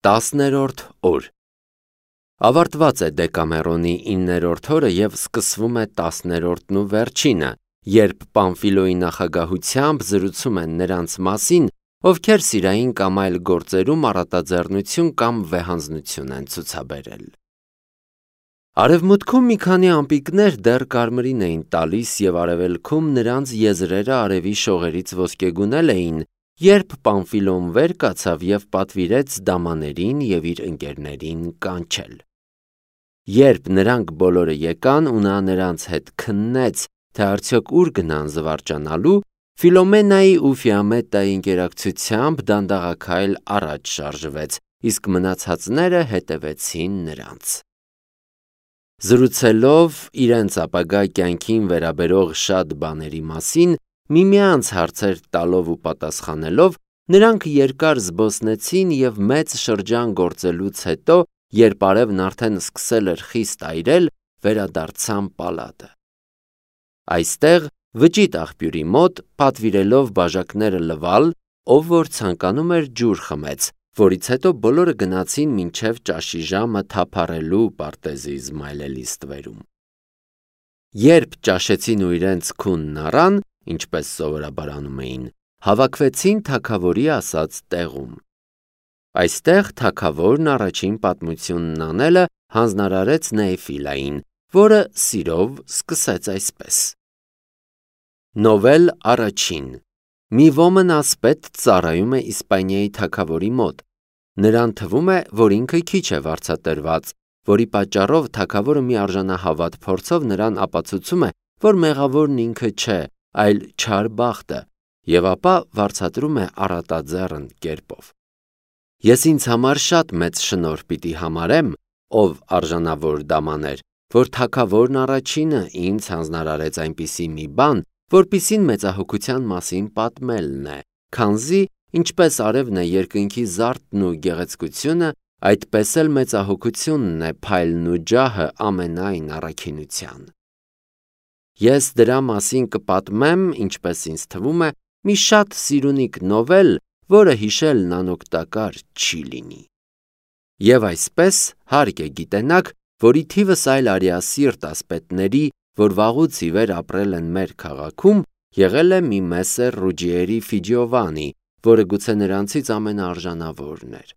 10-րդ օր Ավարտված է Դեկամերոնի 9-րդ օրը և սկսվում է 10-րդն ու վերջինը, երբ Պամֆիլոյի նախագահությամբ զրուցում են նրանց մասին, ովքեր սիրային կամ այլ գործերում առատաձեռնություն կամ վեհանձնություն են ցուցաբերել։ Արևմուտքում մի քանի ամպիկներ դեռ կարմիրին էին տալիս և արևելքում նրանց եզրերը արևի շողերից ոսկեգունել էին, երբ Պամֆիլոն վեր կացավ և պատվիրեց դամաներին և իր ընկերներին կանչել։ Երբ նրանք բոլորը եկան ու նա նրանց հետ քննեց, թե արդյոք ուր գնան զվարճանալու, Ֆիլոմենայի ու Ֆիամետայի ընկերակցությամբ դանդաղաքայլ առաջ շարժվեց, իսկ մնացածները հետևեցին նրանց։ Զրուցելով իրենց ապագա կյանքին վերաբերող շատ բաների մասին, միմյանց հարցեր տալով ու պատասխանելով, նրանք երկար զբոսնեցին և մեծ շրջան գործելուց հետո, երբ արևն արդեն սկսել էր խիստ այրել, վերադարձան պալատը։ Այստեղ, վճիտ աղբյուրի մոտ, պատվիրելով բաժակները լվալ, ով որ ցանկանում էր ջուր խմեց, որից հետո բոլորը գնացին մինչև ճաշի ժամը թափառելու պարտեզի Իզմայելելի ստվերում։ Երբ ճաշեցին ու իրենց քունն առան, ինչպես սովորաբար անում էին, հավաքվեցին թագավորի ասած տեղում։ Այստեղ թագավորն առաջին պատմությունն անելը հանձնարարեց Նեեֆիլային, որը սիրով սկսեց այսպես. Նովել առաջին Մի ոմն ասպետ ծառայում է Իսպանիայի թագավորի մոտ։ Նրան թվում է, որ ինքը քիչ է վարձատրված, որի պատճառով թագավորը մի արժանահավատ փորձով նրան ապացուցում է, որ մեղավորն ինքը չէ, այլ չար բախտը, և ապա վարձատրում է առատաձեռն կերպով։ Ես ինձ համար շատ մեծ շնորհ պիտի համարեմ, ով արժանավոր դամաներ, որ թագավորն առաջինը ինձ հանձնարարեց այնպիսի մի բան, որպիսին մեծահոգության մասին պատմելն է, քանզի ինչպես արևն է երկնքի զարդն ու գեղեցկությունը, այդպես էլ մեծահոգությունն է փայլն ու ջահը ամենայն առաքինության։ Ես դրա մասին կպատմեմ, ինչպես ինձ թվում է, մի շատ սիրունիկ նովել, որը հիշելն անօգտակար չի լինի։ Եվ այսպես հարկ է գիտենաք, որ ի թիվս այլ արիասիրտ ասպետների, որ վաղուց ի վեր ապրել են մեր քաղաքում, եղել է մի Մեսեր Ռուջիերի Ֆիջիովանի, որը գուցե նրանցից ամենաարժանավորն էր։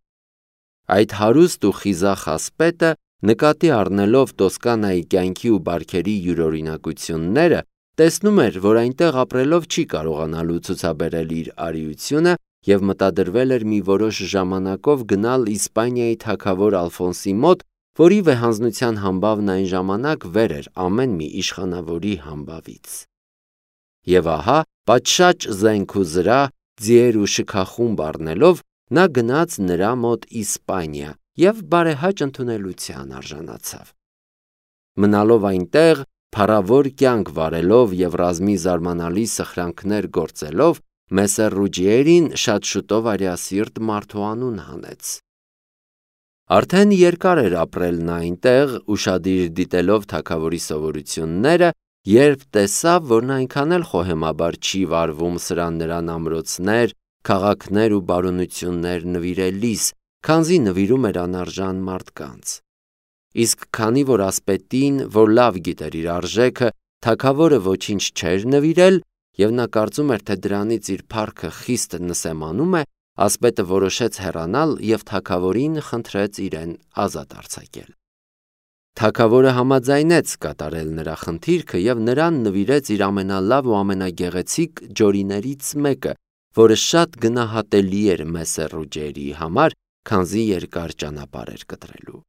Այդ հարուստ ու խիզախ ասպետը, նկատի առնելով Տոսկանայի կյանքի ու բարքերի յուրօրինակությունները, տեսնում էր, որ այնտեղ ապրելով չի կարողանալու ցուցաբերել իր արիությունը և մտադրվել էր մի որոշ ժամանակով գնալ Իսպանիայի թագավոր Ալֆոնսի մոտ, որի վեհանձնության համբավն այն ժամանակ վեր էր ամեն մի իշխանավորի համբավից։ Եվ ահա, պատշաճ զենք ու զրահ, ձիեր ու շքախումբ առնելով, նա գնաց նրա մոտ Իսպանիա և բարեհաճ ընդունելության արժանացավ։ Մնալով այնտեղ, փառավոր կյանք վարելով և ռազմի զարմանալի սխրանքներ գործելով, Մեսեր Ռուջիերին շատ շուտով արիասիրտ մարդու անուն հանեց։ Արդեն երկար էր ապրել նա այնտեղ, ուշադիր դիտելով թագավորի սովորությունները, երբ տեսավ, որ նա այնքան էլ խոհեմաբար չի վարվում սրան-նրան ամրոցներ, քաղաքներ ու բարօրություններ նվիրելիս, քանզի նվիրում էր անարժան մարդկանց։ Իսկ քանի որ ասպետին, որ լավ գիտեր իր արժեքը, թագավորը ոչինչ չէր նվիրել, և նա կարծում էր, թե դրանից իր փառքը խիստ նսեմանում է, ասպետը որոշեց հեռանալ և թագավորին խնդրեց իրեն ազատ արձակել։ Թագավորը համաձայնեց կատարել նրա խնդիրքը և նրան նվիրեց իր ամենալավ ու ամենագեղեցիկ ջորիներից մեկը, որը շատ գնահատելի էր Մեսեր Ռուջիերի համար, քանզի երկար ճանապարհ էր կտրելու։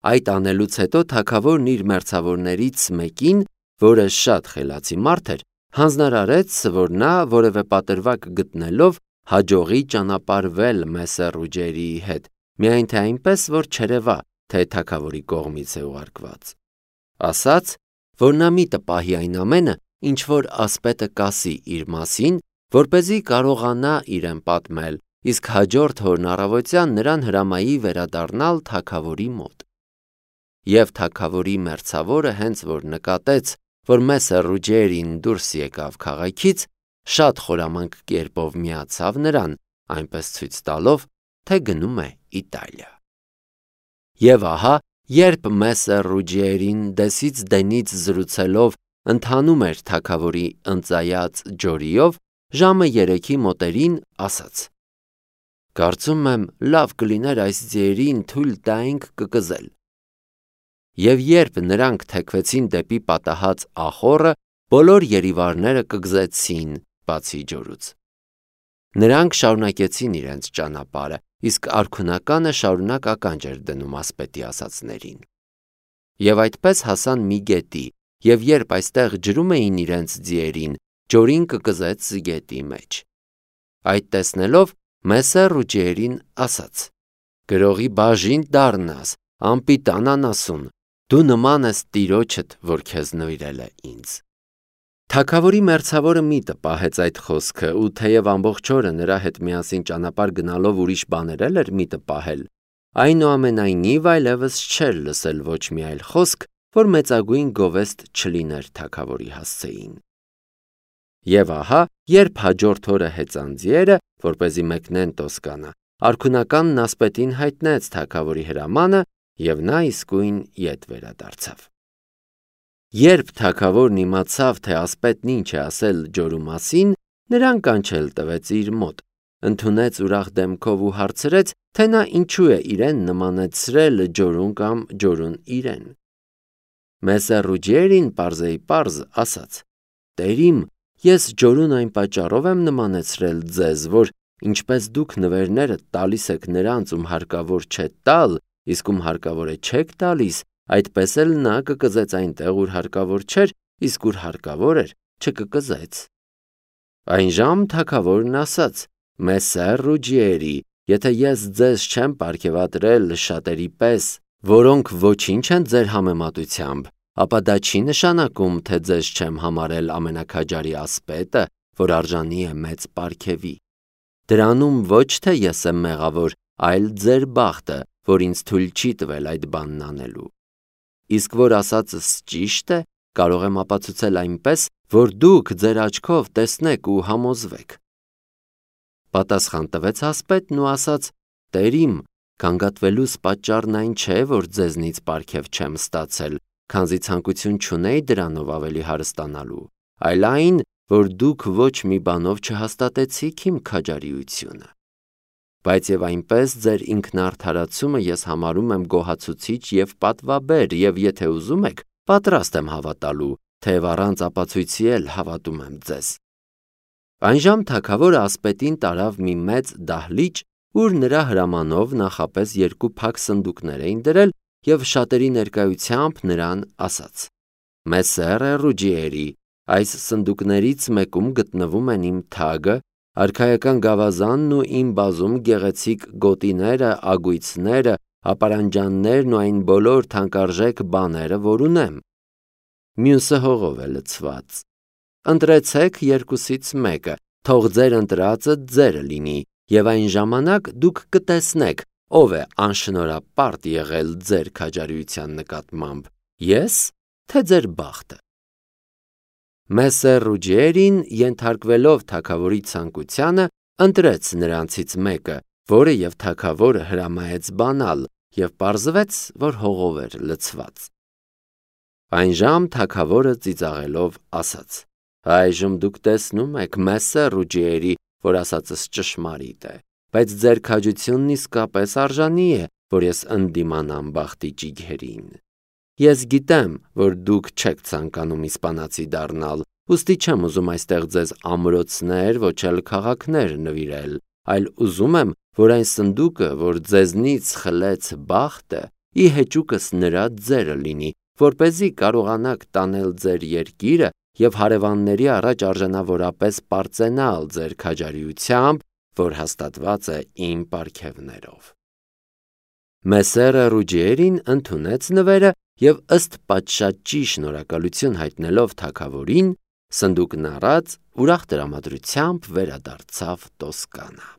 Այդ անելուց հետո թագավորն իր մերձավորներից մեկին, որը շատ խելացի մարդ էր, հանձնարարեց, որ նա որևէ պատրվակ գտնելով հաջողի ճանապարհվել Մեսեր Ռուջիերիի հետ, միայն թե այնպես, որ չերևա, թե թագավորի կողմից է ուղարկված։ Ասաց, որ նա միտը պահի այն ամենը, ինչ որ ասպետը կասի իր մասին, որպեսզի կարողանա իրեն պատմել, իսկ հաջորդ օրն առավոտյան նրան հրամայի վերադառնալ թագավորի մոտ։ Եվ թագավորի մերձավորը հենց որ նկատեց, որ Մեսեր Ռուջիերին դուրս եկավ քաղաքից, շատ խորամանկ կերպով միացավ նրան, այնպես ցույց տալով, թե գնում է Իտալիա։ Եվ ահա, երբ Մեսսեր Ռուջիերին դեսից դենից զրուցելով ընթանում էր թագավորի ընծայած ջորիով, ժամը 3-ի մոտերին ասաց. «Կարծում եմ լավ կլիներ այս ձիերին թույլ տայինք կկզել»։ Եվ երբ նրանք թեքվեցին դեպի պատահած ախոռը, բոլոր երիվարները կգզեցին բացի ջորուց։ Նրանք շարունակեցին իրենց ճանապարհը, իսկ արքունականը շարունակ ականջ էր դնում ասպետի ասածներին։ Եվ այդպես հասան մի գետի, եւ երբ այստեղ ջրում էին իրենց ձիերին, ջորին կկզեց գետի մեջ։ Այդ տեսնելով Մեսսեր Ռուջիերին ասաց. «Գրողի բաժին դառնաս, անպիտան անասուն, դու նման ես տիրոջդ, որ քեզ նվիրել է ինձ»։ Թագավորի մերձավորը միտը պահեց այդ խոսքը, ու թեև ամբողջ օրը նրա հետ միասին ճանապարհ գնալով ուրիշ բաներ էր միտը պահել, այնուամենայնիվ այլևս չէր լսել ոչ մի այլ խոսք, որ մեծագույն գովեստ չլիներ թագավորի հասցեին։ Եվ ահա, երբ հաջորդ օրը հեծան ձիերը, որպեսզի մեկնեն Տոսկանա, արքունականն ասպետին հայտնեց թագավորի հրամանը, եւ նա իսկույն ետ վերադարձավ։ Երբ թագավորն իմացավ, թե ասպետն ինչ է ասել ջորու մասին, նրան կանչել տվեց իր մոտ, ընդունեց ուրախ դեմքով ու հարցրեց, թե նա ինչու է իրեն նմանեցրել ջորուն կամ ջորուն իրեն։ Մեսսեր Ռուջիերին պարզեիպարզ ասաց. «Տերիմ, ես ջորուն այն պատճառով եմ նմանեցրել ձեզ, որ ինչպես դուք նվերները տալիս եք նրանց, ում հարկավոր չէ տալ, իսկ ում հարկավոր է չեք տալիս, այդպես էլ նա կկզեց այնտեղ, ուր հարկավոր չէր, իսկ ուր հարկավոր էր, չկկզեց»։ Այնժամ թագավորն ասաց. «Մեսսեր Ռուջիերի, եթե ես ձեզ չեմ պարգևատրել շատերի պես, որոնք ոչինչ են ձեր համեմատությամբ, ապա դա չի նշանակում, թե ձեզ չեմ համարել ամենաքաջարի ասպետը, որ արժանի է մեծ պարգևի։ Դրանում ոչ թե ես եմ մեղավոր, այլ ձեր բախտը, որ ինձ թույլ չի տվել այդ բանն անելու։ Իսկ որ ասածս ճիշտ է, կարող եմ ապացուցել այնպես, որ դուք ձեր աչքով տեսնեք ու համոզվեք»։ Պատասխան տվեց ասպետն ու ասաց. «Տերիմ, գանգատվելուս պատճառն այն չէ, որ ձեզնից պարգև չեմ ստացել, քանզի ցանկություն չունեի դրանով ավելի հարստանալու, այլ այն, որ դուք ոչ մի բանով չհաստատեցիք իմ քաջարիությունը։ Բայց եւ այնպես ձեր ինքնարդարացումը ես համարում եմ գոհացուցիչ եւ պատվաբեր, եւ եթե ուզում եք, պատրաստ եմ հավատալու, թեև առանց ապացույցի էլ հավատում եմ ձեզ»։ Այնժամ թագավորը ասպետին տարավ մի մեծ դահլիճ, ուր նրա հրամանով նախապես 2 փակ սնդուկներ էին դրել, եւ շատերի ներկայությամբ նրան ասաց. «Մեսսեր Ռուջիերի, այս սնդուկներից մեկում գտնվում են իմ թագը, արքայական գավազանն ու իմ բազում գեղեցիկ գոտիները, ագույցները, ապարանջաններն ու այն բոլոր թանկարժեք բաները, որ ունեմ։ Մյուսը հողով է լցված։ Ընտրեցեք երկուսից մեկը, թող ձեր ընտրածը ձերը լինի, եւ այն ժամանակ դուք կտեսնեք, ով է անշնորհապարտ եղել ձեր քաջարիության նկատմամբ, ես, թե ձեր բախտը»։ Մեսսեր Ռուջիերին, ենթարկվելով թագավորի ցանկությանը, ընտրեց նրանցից մեկը, որը եւ թագավորը հրամայեց բանալ, եւ պարզվեց, որ հողով էր լցված։ Այնժամ թագավորը ծիծաղելով ասաց. «Այժմ դուք տեսնում եք, Մեսսեր Ռուջիերի, որ ասածս ճշմարիտ է, բայց ձեր քաջությունն իսկապես արժանի է, որ ես ընդդիմանամ բախտի ճիգերին։ Ես գիտեմ, որ դուք չեք ցանկանում իսպանացի դառնալ, ուստի չեմ ուզում այստեղ ձեզ ամրոցներ, ոչ էլ քաղաքներ նվիրել, այլ ուզում եմ, որ այն սնդուկը, որ ձեզնից խլեց բախտը, ի հեճուկս նրա ձերը լինի, որպեսզի կարողանաք տանել ձեր երկիրը եւ հարևանների առաջ արժանավորապես պարծենալ ձեր քաջարիությամբ, որ հաստատված է իմ պարգևներով»։ Մեսսերը Ռուջիերին ընդունեց նվերը եւ ըստ պատշաճի շնորհակալություն հայտնելով թագավորին, սնդուկն առած ուրախ տրամադրությամբ վերադարձավ Տոսկանա։